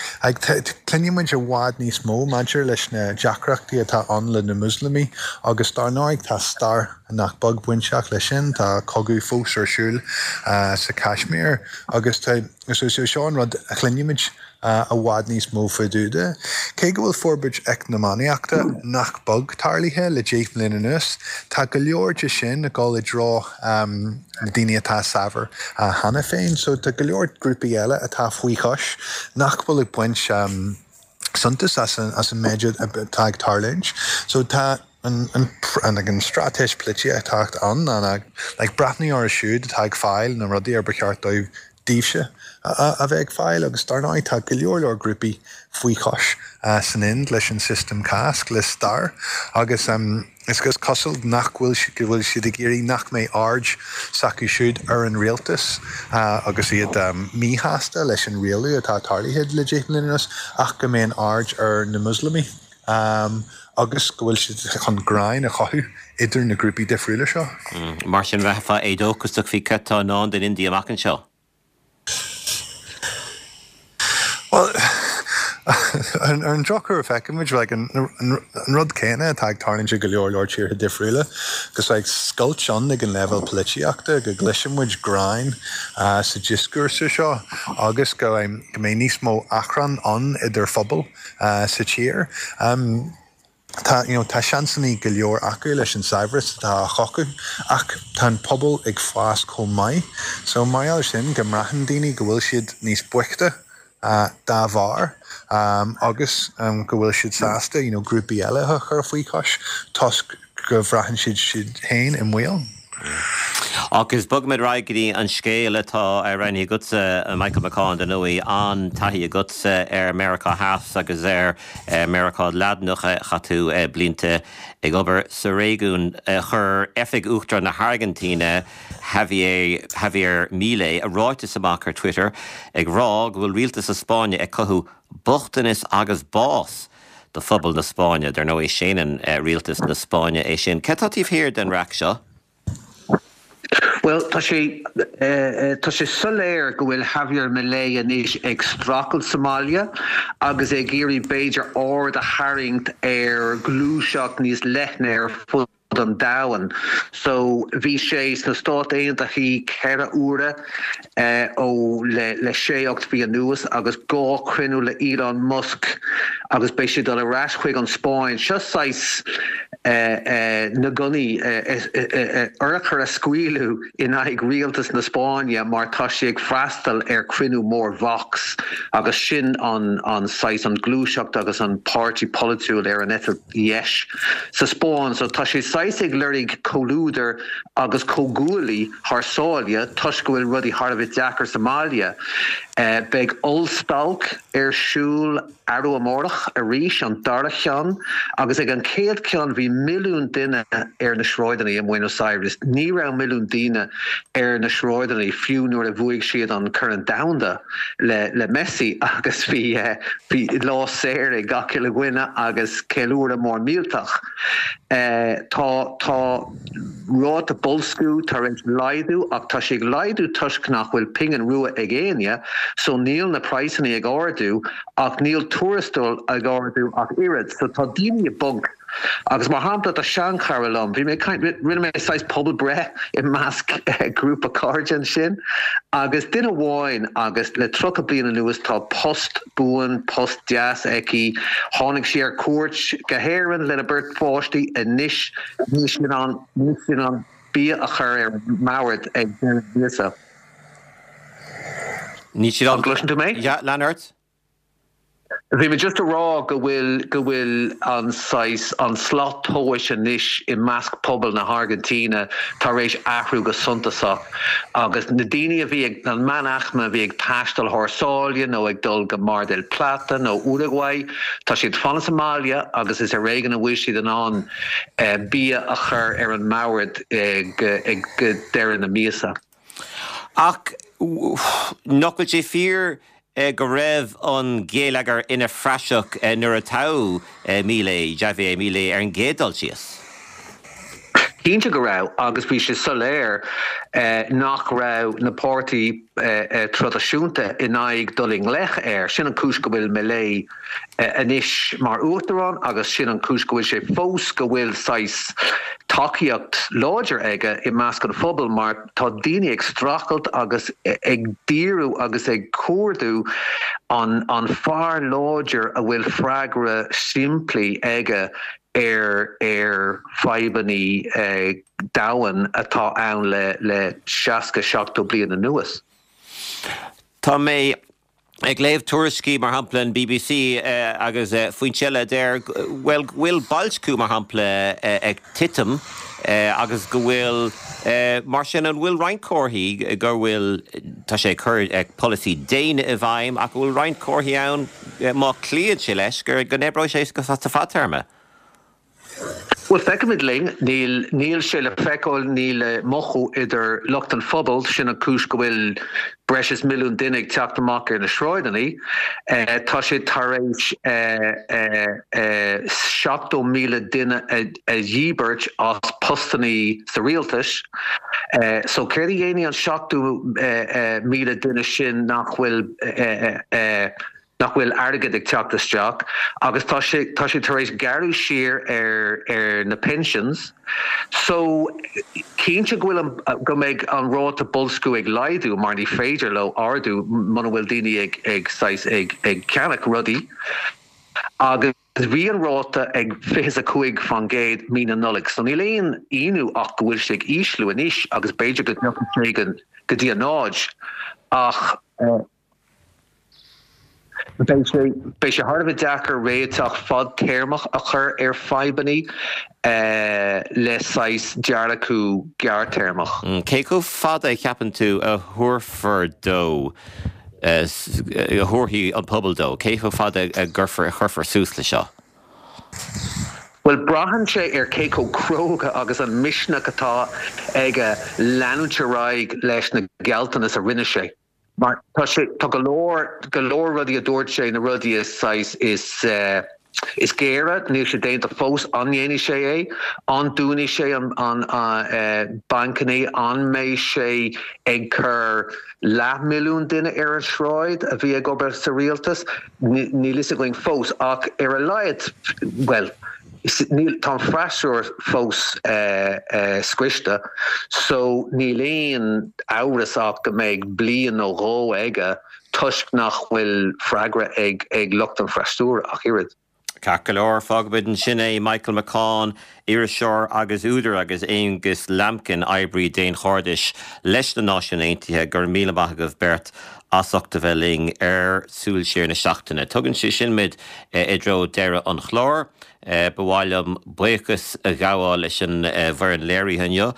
[SPEAKER 6] cluinimid i bhfad níos mó maidir leis na deacrachtaí atá ann le na Muslamaigh agus dar ndóigh tá stair nach beag bainteach leis sin, tá cogadh fós ar siúl sa Kashmir agus tá seo an rud a chluinimid i bhfad níos mó faoi dtaobh de. Cé go bhfuil forbairt eacnamaíochta nach beag tarlaithe le deich mbliana anuas, tá go leor de sin ag dul i dtreo na daoine atá saibhir cheana féin, so tá go leor grúpaí eile atá faoi chois nach bhfuil ag baint suntas as an as an méid atá ag tarlúint. So tá an an an an straitéis polaitíochta ann ná like breathnú orthu siúd atá ag fáil na rudaí ar ba cheart dóibh daoibhse a bheith ag fáil agus dar ndóigh tá go leor leor grúpaí faoi chois san Ind leis an system caste le stair agus is is cosúil nach bhfuil go bhfuil siad ag iarraidh nach mbeidh aird s'acu siúd ar an rialtas agus iad míshásta leis an rialú atá tarlaithe le deich mbliana anuas ach go mbeidh an aird ar na Muslamaigh agus go bhfuil siad chun gráin a chothú idir na grúpaí difriúla seo.
[SPEAKER 1] Mar sin bheifeá éadóchasach faoi cad atá i ndán don India amach anseo.
[SPEAKER 6] Well, ar an drochuair feicimid like, an, an, an rud céanna atá ag tarlúint i go leor leor tíortha difriúla, agus like, scoilt ann ag an leibhéal polaitíochta go gcloisimid gráin uh, sa dioscúrsa seo agus go, um, go mbeidh níos mó achrann ann idir phobal uh, sa tír. Um, Tá you know, tá seansanna go leor acu leis an saibhreas atá á chothú ach tá an pobal ag fás chomh maith. So mar gheall sin go mbraitheann daoine go bhfuil siad níos boichte uh, dá bharr um, agus um, go bhfuil siad sásta you know, grúpaí eile a chur faoi chois toisc go bhraitheann siad siad féin i mbaol.
[SPEAKER 1] Agus bogfaimid ar aghaidh go dtí an scéal atá roghnaithe agatsa Michael McCaul dar ndóigh an-taithí agatsa ar Meiriceá Theas agus ar Meiriceá Laidineach chaith tú blianta ag obair sa réigiún chuir Oifig Uachtarán na hAirgintíne Javier Javier Milei ráiteas amach ar Twitter ag rá go bhfuil rialtas na Spáinne ag cothú bochtanas agus bás do phobal na Spáinne dar ndóigh séanann rialtas na Spáinne é sin. Cad tá taobh thiar den raic seo?
[SPEAKER 5] Well tá sé tá sé soiléir go bhfuil Javier Milei anois ag streachailt sa mbaile agus ag iarraidh b'fhéidir aird a tharraingt ar ghluaiseacht níos leithne ar fud an domhain. So bhí sé sna Stáit Aontaithe ceithre huaire ó le le sé ocht mhí anuas agus dhá chruinniú le Elon Musk agus beidh sé dul ar ais chuig an Spáinn. Seo saghas na gunnaí urchar a scaoileadh in aghaidh rialtas na Spáinne mar tá sé ag freastal ar chruinniú mór Vox agus sin an an saghas an ghluaiseacht agus an páirtí polaitiúil ar an eite dheis sa Spáinn, so tá sé saghas ag lorg comhluadar agus comhghuaillí thar sáile toisc go bhfuil rudaí thar a bheith deacair sa mbaile. Beidh ollstailc ar siúl arú amárach arís an dara ceann agus ag an chéad cheann bhí milliún duine ar na sráideanna i mBuenos Aires. Ní raibh milliún daoine ar na sráideanna fiú nuair a bhuaigh siad an Corn Domhanda le le Messi agus bhí bhí lá saor ag gach uile dhuine agus ceiliúradh mór millteach. Tá tá ráta boilsciú tar éis laghdú ach tá sé ag laghdú toisc nach bhfuil pingin rua ag éinne, so níl na praghsanna ag ardú ach níl tuarastal ag ardú ach oiread, so tá daoine i bponc. Agus mar shampla tá seanchara liom, bhí mé ag caint, rinne mé saghas pobalbhreith i measc grúpa cairde ansin agus duine amháin agus le tríocha bliain anuas tá post buan, post deas aici, tháinig sí ar cuairt go hÉirinn lena beirt pháistí, anois níl sí in ann, níl sí in ann bia a chur ar an mbord ag deireadh na míosa.
[SPEAKER 1] Níl sí in ann.
[SPEAKER 5] An gcloiseann tú mé?
[SPEAKER 1] Yeah, lean ort.
[SPEAKER 5] Bhí mé just a rá go bhfuil go bhfuil an saghas an slat tomhais anois i measc pobal na hAirgintíne tar éis athrú go suntasach agus na daoine a bhí ag an meánaicme a bhí ag taisteal thar sáile nó ag dul go Mar del Plata nó Uruguay tá siad fanacht sa mbaile agus is ar éigean a bhfuil siad in ann bia a chur ar an mbord ag ag deireadh na míosa.
[SPEAKER 1] Ach nach bhfuil sé fíor go raibh an géilleagar ina phraiseach nuair a toghadh Milei, Javier Milei ar an gcéad dul síos?
[SPEAKER 5] Cinnte go raibh agus bhí sé soiléir nach raibh na páirtí traidisiúnta in aghaidh dul i ngleic air. Sin an cúis go bhfuil Milei anois mar uachtarán agus sin an cúis go bhfuil sé fós go bhfuil saghas tacaíocht láidir aige i measc an phobail mar tá daoine ag streachailt agus ag díriú agus ag cuardú an an fear láidir a bhfuil freagra simplí aige ar ar fadhbanna domhain atá ann le le seasca seachtó bliain anuas.
[SPEAKER 1] Tá mé ag léamh tuairiscí mar shampla an BBC agus foinse eile a deir bhuel go bhfuil boilsciú mar shampla ag titim agus go bhfuil mar sin an bhfuil roinnt comharthaí go bhfuil tá sé ag cur polasaí déine i bhfeidhm ach go bhfuil roinnt comharthaí ann má chloíonn sé leis go n-oibreoidh sé sa fadtéarma.
[SPEAKER 5] Bhuel, feicfimid linn. Níl, níl sé le feiceáil, níl le mothú idir lucht an phobail, sin an cúis go bhfuil breis is milliún duine ag teacht amach ar na sráideanna. Tá sé tar éis seachtó míle duine a dhíbirt as postanna sa rialtas. So céard a dhéanfaidh an seachtó míle duine sin nach bhfuil nach bhfuil airgead ag teacht isteach agus tá sé tá sé tar éis gearradh siar ar ar na pensions so cinnte go bhfuil an go mbeidh an ráta boilsciú ag laghdú mar ní féidir leo ardú muna bhfuil daoine ag ag saghas ag ag ceannach rudaí agus bhí an ráta ag fiche a cúig faoin gcéad mí na Nollag so níl aon ionadh ach go bhfuil sé ag ísliú anois agus b'fhéidir go dtiocfaidh sé go dtí a náid ach Beidh sé beidh sé thar a bheith deacair réiteach fadtéarmach a chur ar fadhbanna le saghas dearcadh gearrthéarmach.
[SPEAKER 1] Cé chomh fada a cheapann tú a thabharfar dó, a thabharfaidh an pobal dó? Cé chomh fada a gcuirfear, a chuirfear suas le seo?
[SPEAKER 5] Bhuel, braitheann sé ar cé chomh cróga agus an misneach atá aige leanúint ar aghaidh leis na gealltanais a rinne sé. Mar tá sé, tá go leor, go leor rudaí a dúirt sé, na rudaí is saghas, is eh, is géire, níl sé déanta fós, an ndéanfaidh sé é? An dúnfaidh sé an, an, eh, bancanna? An mbeidh sé ag cur leathmhilliún duine ar an sráid a bhí ag obair sa rialtas? Níl fhios againn fós, ach ar a laghad, bhuel, níl, tá an freasúra fós scriosta so níl aon amhras ach go mbeidh bliain nó dhó aige toisc nach bhfuil freagra ag ag lucht an freasúra ach oiread.
[SPEAKER 1] Ceart go leor, fágfaimid ansin é. Michael McCaughan, iriseoir agus údar agus Aonghus Lambkin, oibrí daonchairdis leis na Náisiúin Aontaithe, go raibh míle maith agaibh beirt as ucht a bheith linn ar Súil Siar na Seachtaine. Tugann sé sin muid i dtreo deireadh an chláir. Ba mhaith liom buíochas a ghabháil leis an bhfoireann léirithe inniu,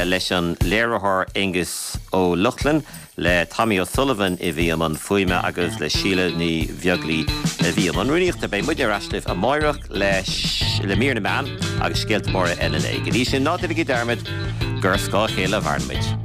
[SPEAKER 1] leis an léiritheoir Aengus Ó Lochlainn, le Tommy O'Sullivan a bhí i mbun fuaime agus le Síle Ní Bheaglaoi a bhí i mbun rúnaíochta. Beidh muid ar ais libh amáireach leis le mír na meán agus scéalta móra eile. Go dtí sin, ná déanaigí dearmad gur ar scáth a chéile a mhaireann muid.